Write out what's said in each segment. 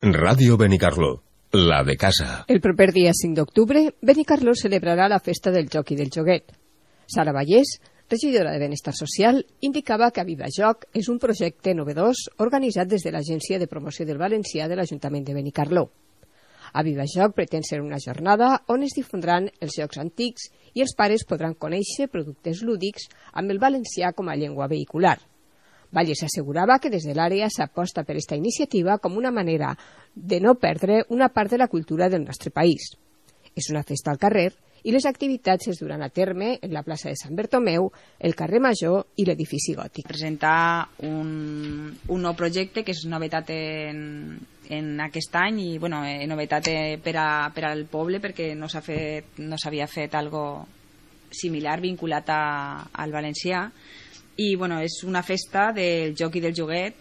Ràdio Benicarló, la de casa. El proper dia 5 d'octubre, Benicarló celebrarà la festa del joc i del joguet. Sara Vallès, regidora de Benestar Social, indicava que Aviva Joc és un projecte novedós organitzat des de l'Agència de Promoció del Valencià de l'Ajuntament de Benicarló. Aviva Joc pretén ser una jornada on es difondran els jocs antics i els pares podran conèixer productes lúdics amb el valencià com a llengua vehicular. Vallès assegurava que des de l'àrea s'aposta per aquesta iniciativa com una manera de no perdre una part de la cultura del nostre país. És una festa al carrer i les activitats es duran a terme en la plaça de Sant Bertomeu, el carrer Major i l'edifici gòtic. Presentar un nou projecte que és novetat en aquest any i novetat per al poble perquè no s'havia fet algo similar vinculat al valencià. I és una festa del joc i del joguet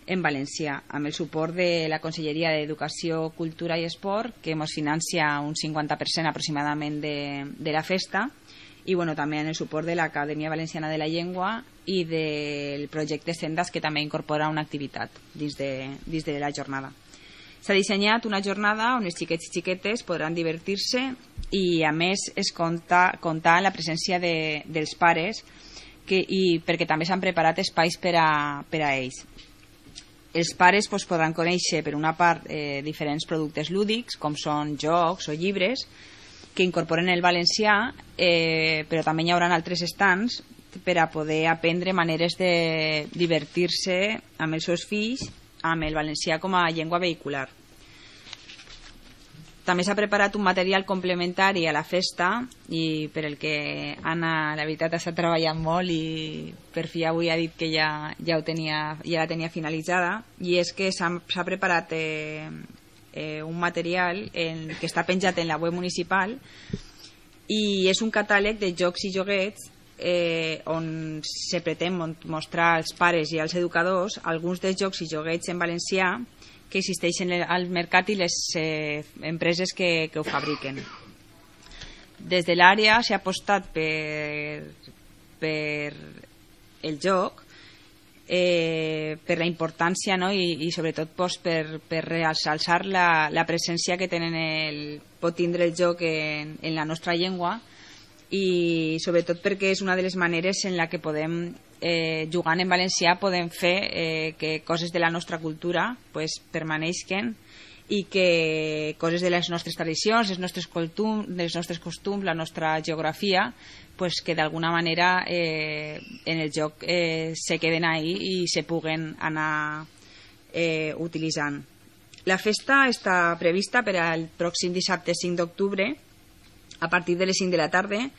en valencià, amb el suport de la Conselleria d'Educació, Cultura i Esport, que ens financia un 50% aproximadament de la festa, i també amb el suport de l'Acadèmia Valenciana de la Llengua i del projecte Sendas, que també incorpora una activitat dins de la jornada. S'ha dissenyat una jornada on els xiquets i xiquetes podran divertir-se i, a més, es compta amb la presència dels pares perquè també s'han preparat espais per a ells. Els pares podran conèixer, per una part, diferents productes lúdics, com són jocs o llibres, que incorporen el valencià, però també hi haurà altres estants per a poder aprendre maneres de divertir-se amb els seus fills amb el valencià com a llengua vehicular. També s'ha preparat un material complementari a la festa i per el que Anna, la veritat, està treballant molt i per fi avui ha dit que ja la tenia finalitzada, i és que s'ha preparat un material que està penjat en la web municipal i és un catàleg de jocs i joguets on se pretén mostrar als pares i als educadors alguns dels jocs i joguets en valencià que existeixen al mercat i les empreses que ho fabriquen. Des de l'àrea s'ha apostat per el joc, per la importància i sobretot per realçar la presència que pot tindre el joc en la nostra llengua, i sobretot perquè és una de les maneres en la que podem, jugant en valencià, podem fer que coses de la nostra cultura permaneixen i que coses de les nostres tradicions, dels nostres costums, la nostra geografia, que d'alguna manera en el joc se queden ahí i se puguen anar utilitzant. La festa està prevista per al pròxim dissabte 5 d'octubre a partir de les 5 de la tarda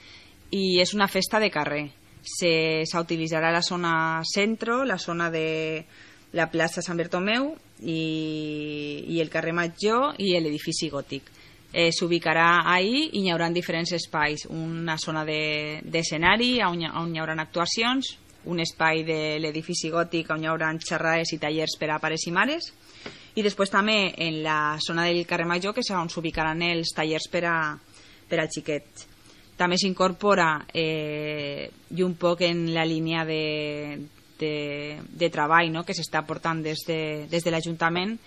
i és una festa de carrer. S'utilitzarà la zona centro, la zona de la plaça Sant Bertomeu i el carrer Major i l'edifici gòtic. S'ubicarà ahí i hi haurà diferents espais, una zona d'escenari on hi haurà actuacions, un espai de l'edifici gòtic on hi haurà xerrades i tallers per a pares i mares, i després també en la zona del carrer Major, que és on s'ubicaran els tallers per als xiquets. També s'incorpora i un poc en la línia de treball que s'està portant des de l'Ajuntament,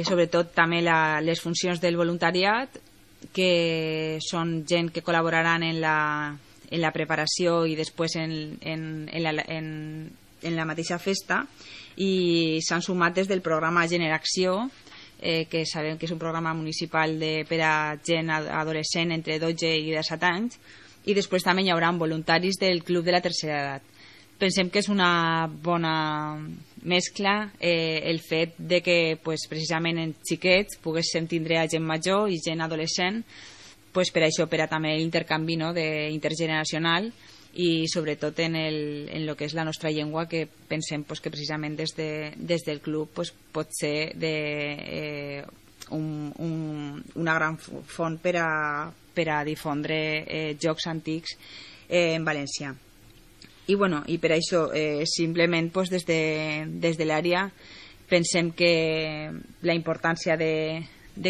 sobretot també les funcions del voluntariat, que són gent que col·laboraran en la preparació i després en la mateixa festa, i s'han sumat des del programa Generació, que sabem que és un programa municipal per a gent adolescent entre 12 i 17 anys, i després també hi haurà voluntaris del Club de la Tercera Edat. Pensem que és una bona mescla el fet de que precisament en xiquets poguéssim tindre gent major i gent adolescent, per això, per a també l'intercanvi intergeneracional i sobretot en el que és la nostra llengua, que pensem que precisament des del club pot ser una gran font per a difondre jocs antics en valencià. I per això simplement des de l'àrea pensem que la importància de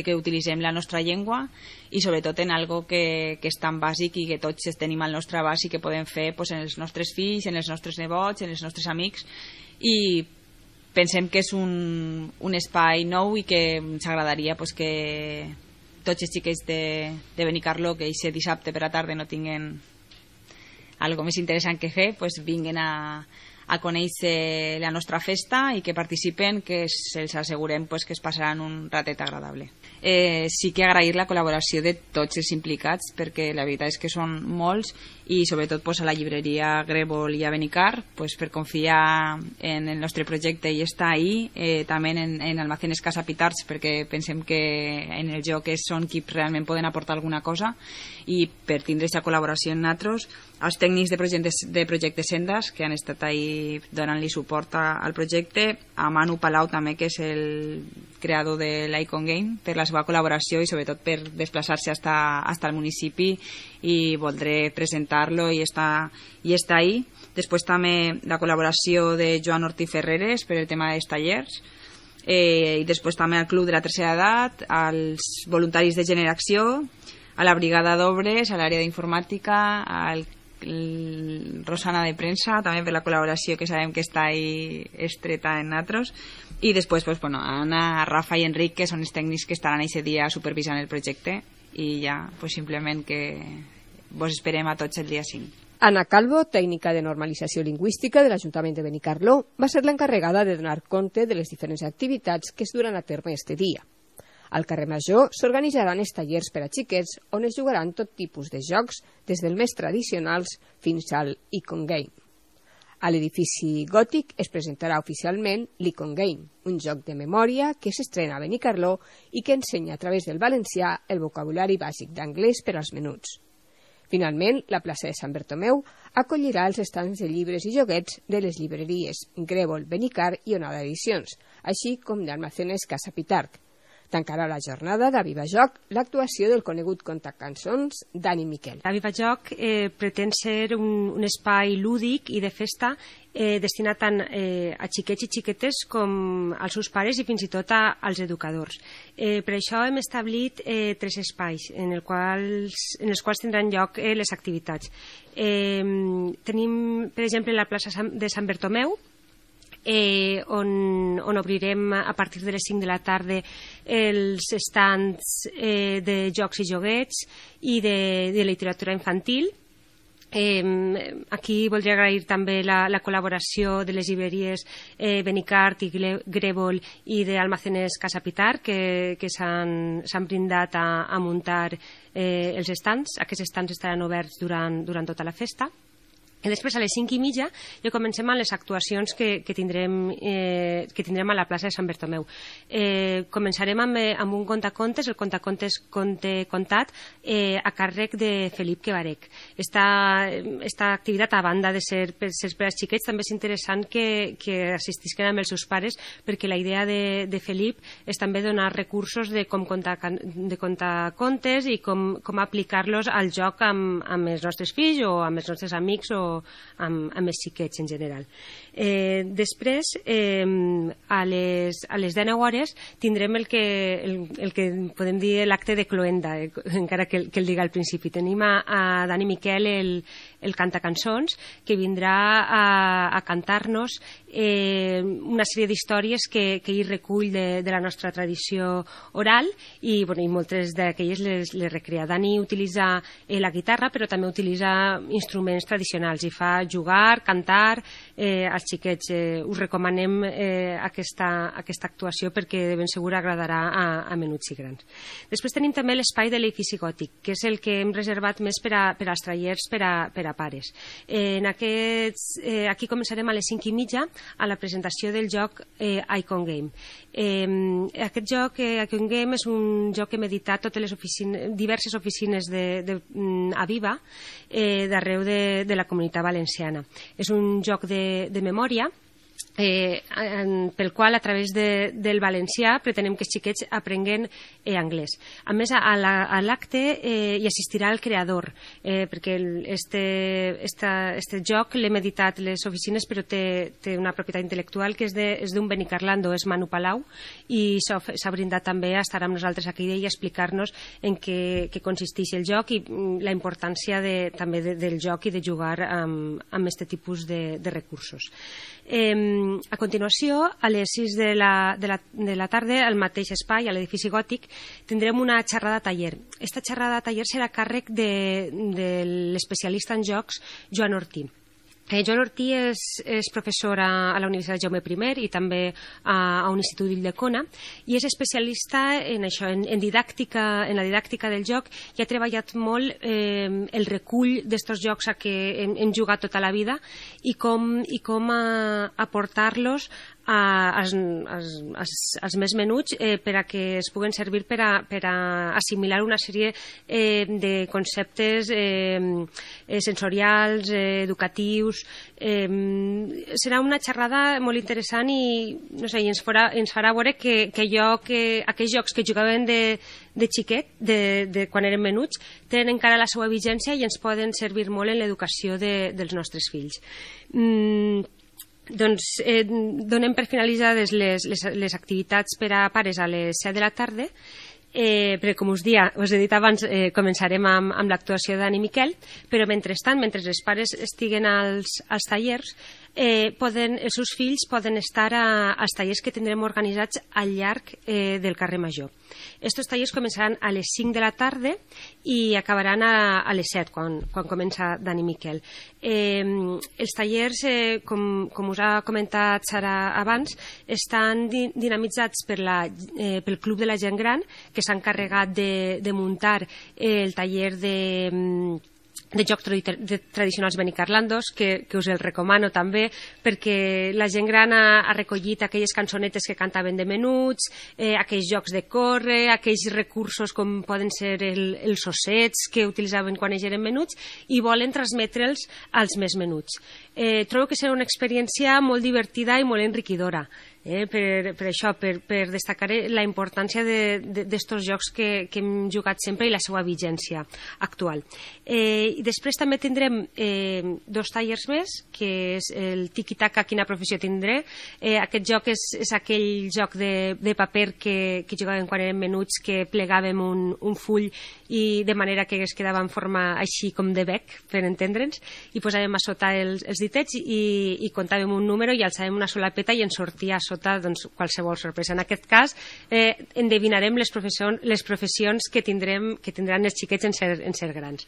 que utilitzem la nostra llengua i sobretot en algo que és tan bàsic i que tots tenim al nostre abast i que podem fer en els nostres fills, en els nostres nebots, en els nostres amics, i pensem que és un espai nou i que ens agradaria pues, que tots els xiquets de Benicarló que aquest dissabte per la tarda no tinguen algo més interessant que fer, pues, vinguen a conèixer la nostra festa i que participen, que se'ls assegurem pues, que es passaran un ratet agradable. Sí que agrair la col·laboració de tots els implicats, perquè la veritat és que són molts, i sobretot pues, a la llibreria Grèvol i a Benicar pues, per confiar en el nostre projecte i estar ahí, també en Almacenes Casa Pitarch, perquè pensem que en el joc són qui realment poden aportar alguna cosa, i per tindre aquesta col·laboració en nosaltres, als tècnics de projecte Sendas, que han estat ahí donant-li suport al projecte, a Manu Palau també, que és el creador de l'Icon Game, per la seva col·laboració i sobretot per desplaçar-se hasta el municipi i voldré presentar-lo i estar ahí. Després també la col·laboració de Joan Ortí Ferreres per el tema dels tallers, i després també al Club de la Tercera Edat, als voluntaris de Generació, a la Brigada d'Obres, a l'àrea d'informàtica, al Rosana de Premsa, també per la col·laboració que sabem que està ahí estreta en nosaltres, i després pues, bueno, Anna, Rafa i Enric, que són els tècnics que estaran aquest dia supervisant el projecte, i ja pues, simplement que vos esperem a tots el dia 5. Ana Calvo, tècnica de normalització lingüística de l'Ajuntament de Benicarló, va ser l'encarregada de donar compte de les diferents activitats que es duran a terme este dia. Al carrer Major s'organitzaran els tallers per a xiquets on es jugaran tot tipus de jocs, des dels més tradicionals fins al Icon Game. A l'edifici gòtic es presentarà oficialment l'Icon Game, un joc de memòria que s'estrena a Benicarló i que ensenya a través del valencià el vocabulari bàsic d'anglès per als menuts. Finalment, la plaça de Sant Bertomeu acollirà els estants de llibres i joguets de les llibreries Grèvol, Benicar i Onada Edicions, així com d'Almacenes Casa Pitarch. Tancarà la jornada d'Aviva Joc l'actuació del conegut contacançons Dani Miquel. Aviva Joc pretén ser un espai lúdic i de festa destinat tant a xiquets i xiquetes com als seus pares i fins i tot als educadors. Per això hem establit 3 espais en els quals tindran lloc les activitats. Tenim, per exemple, la plaça de Sant Bertomeu, on obrirem a partir de les 5 de la tarda els estands de jocs i joguets i de literatura infantil. Aquí voldria agrair també la col·laboració de les llibreries Benicart i Grèvol i d'Almacenes Casa Pitarch que s'han brindat a muntar els estands. Aquests estands estaran oberts durant tota la festa. I després, a les 5:30, ja comencem amb les actuacions que tindrem a la plaça de Sant Bertomeu. Començarem amb un contacontes, el contacontes Conte Contat, a càrrec de Felip Quevarec. Esta activitat, a banda de ser per als xiquets, també és interessant que assistisquen amb els seus pares, perquè la idea de Felip és també donar recursos de com contar contes i com aplicar-los al joc amb els nostres fills o amb els nostres amics o amb els xiquets en general. Després, a les 19 hores, tindrem el que podem dir l'acte de cloenda, encara que el diga al principi. Tenim a Dani Miquel, el cantacançons, que vindrà a cantar-nos una sèrie d'històries que ell recull de la nostra tradició oral i moltes d'aquelles les recrea. Dani utilitza la guitarra, però també utilitza instruments tradicionals i fa jugar, cantar. Als xiquets us recomanem aquesta actuació perquè de ben segur agradarà a menuts i grans. Després tenim també l'espai de l'edifici gòtic, que és el que hem reservat més per als tallers per a pares. Aquí començarem a les 5:30 a la presentació del joc Icon Game. Aquest joc, Icon Game, és un joc que hem editat totes les diverses oficines d'Aviva d'arreu de la Comunitat Valenciana. És un joc de memòria pel qual, a través del valencià, pretenem que els xiquets aprenguen anglès. A més, a l'acte hi assistirà el creador, perquè este joc l'hem editat les oficines, però té una propietat intel·lectual que és d'un benicarlando, és Manu Palau, i s'ha brindat també a estar amb nosaltres aquí i a explicar-nos en què consisteix el joc i la importància també del joc i de jugar amb aquest tipus de recursos. a continuació, a les 6 de la tarda, al mateix espai, a l'edifici gòtic, tindrem una xerrada taller. Aquesta xerrada taller serà a càrrec de l'especialista en jocs Joan Ortí. Joan Ortí és professor a la Universitat Jaume I i també a un institut d'Ildecona, i és especialista en això, en la didàctica del joc, i ha treballat molt el recull d'estos jocs a què hem jugat tota la vida i com aportar-los als més menuts per a que es puguen servir per a assimilar una sèrie de conceptes sensorials, educatius. Serà una xerrada molt interessant i, no sé, ens farà veure que aquells jocs que jugaven de xiquet, de quan érem menuts, tenen encara la seva vigència i ens poden servir molt en l'educació dels nostres fills. Doncs donem per finalitzades les activitats per a pares a les 7 de la tarda, perquè com us he dit abans, començarem amb l'actuació d'Anna i Miquel, però mentrestant, mentre els pares estiguen als tallers, els seus fills poden estar als tallers que tindrem organitzats al llarg del carrer Major. Estos tallers començaran a les 5 de la tarda i acabaran a les 7, quan comença Dani Miquel. Els tallers, com us ha comentat Sara abans, estan dinamitzats pel Club de la Gent Gran, que s'ha encarregat de muntar el taller de jocs tradicionals benicarlandos, que us el recomano també, perquè la gent gran ha recollit aquelles cançonetes que cantaven de menuts, aquells jocs de córrer, aquells recursos com poden ser els ossets que utilitzaven quan ells eren menuts, i volen transmetre'ls als més menuts. Trobo que serà una experiència molt divertida i molt enriquidora. Per això, per destacar la importància d'estos jocs que hem jugat sempre i la seva vigència actual. I després també tindrem 2 tallers més, que és el tiki-taka, quina professió tindré. Aquest joc és aquell joc de paper que jugàvem quan érem menuts, que plegàvem un full i de manera que es quedava en forma així com de bec, per entendre'ns, i posàvem a sota els ditets i comptàvem un número i alçàvem una solapeta i ens sortia a sota qualsevol sorpresa. En aquest cas endevinarem les professions que tindran els xiquets en ser grans.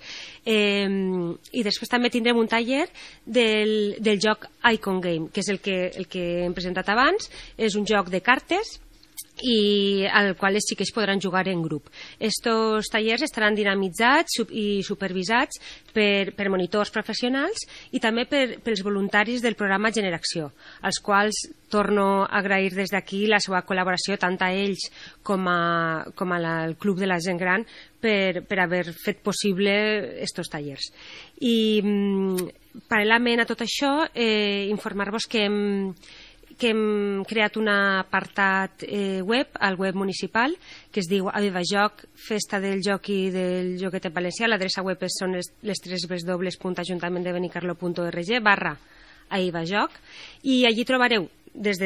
I després també tindrem un taller del joc Icon Game, que és el que hem presentat abans. És un joc de cartes i al qual els xiquets podran jugar en grup. Estos tallers estaran dinamitzats i supervisats per monitors professionals i també pels voluntaris del programa Generació, als quals torno a agrair des d'aquí la seva col·laboració tant a ells com al Club de la Gent Gran per haver fet possible estos tallers. I paral·lelament a tot això, informar-vos que hem creat un apartat web al web municipal que es diu Avivajoc, Festa del Joc i del Joguet en Valencià. L'adreça web són les www.ajuntamentdebenicarlo.org/Avivajoc, i allí trobareu des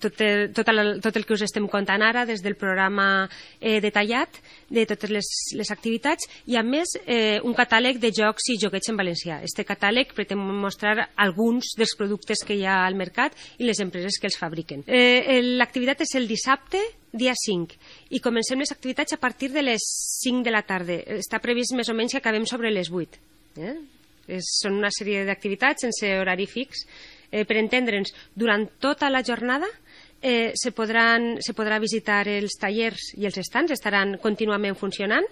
tot el que us estem contant ara, des del programa detallat de totes les activitats, i a més un catàleg de jocs i joguets en valencià. Este catàleg pretén mostrar alguns dels productes que hi ha al mercat i les empreses que els fabriquen. L'activitat és el dissabte, dia 5, i comencem les activitats a partir de les 5 de la tarda. Està previst més o menys que acabem sobre les 8. Són una sèrie d'activitats sense horari fix. Per entendre'ns, durant tota la jornada se podrà visitar els tallers i els estants, estaran contínuament funcionant.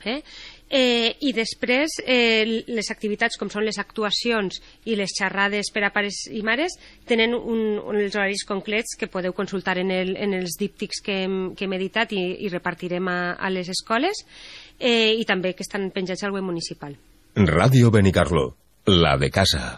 I després les activitats, com són les actuacions i les xerrades per a pares i mares, tenen els horaris concrets que podeu consultar en els díptics que hem editat i repartirem a les escoles, i també que estan penjats al web municipal. Ràdio Benicarló, la de casa.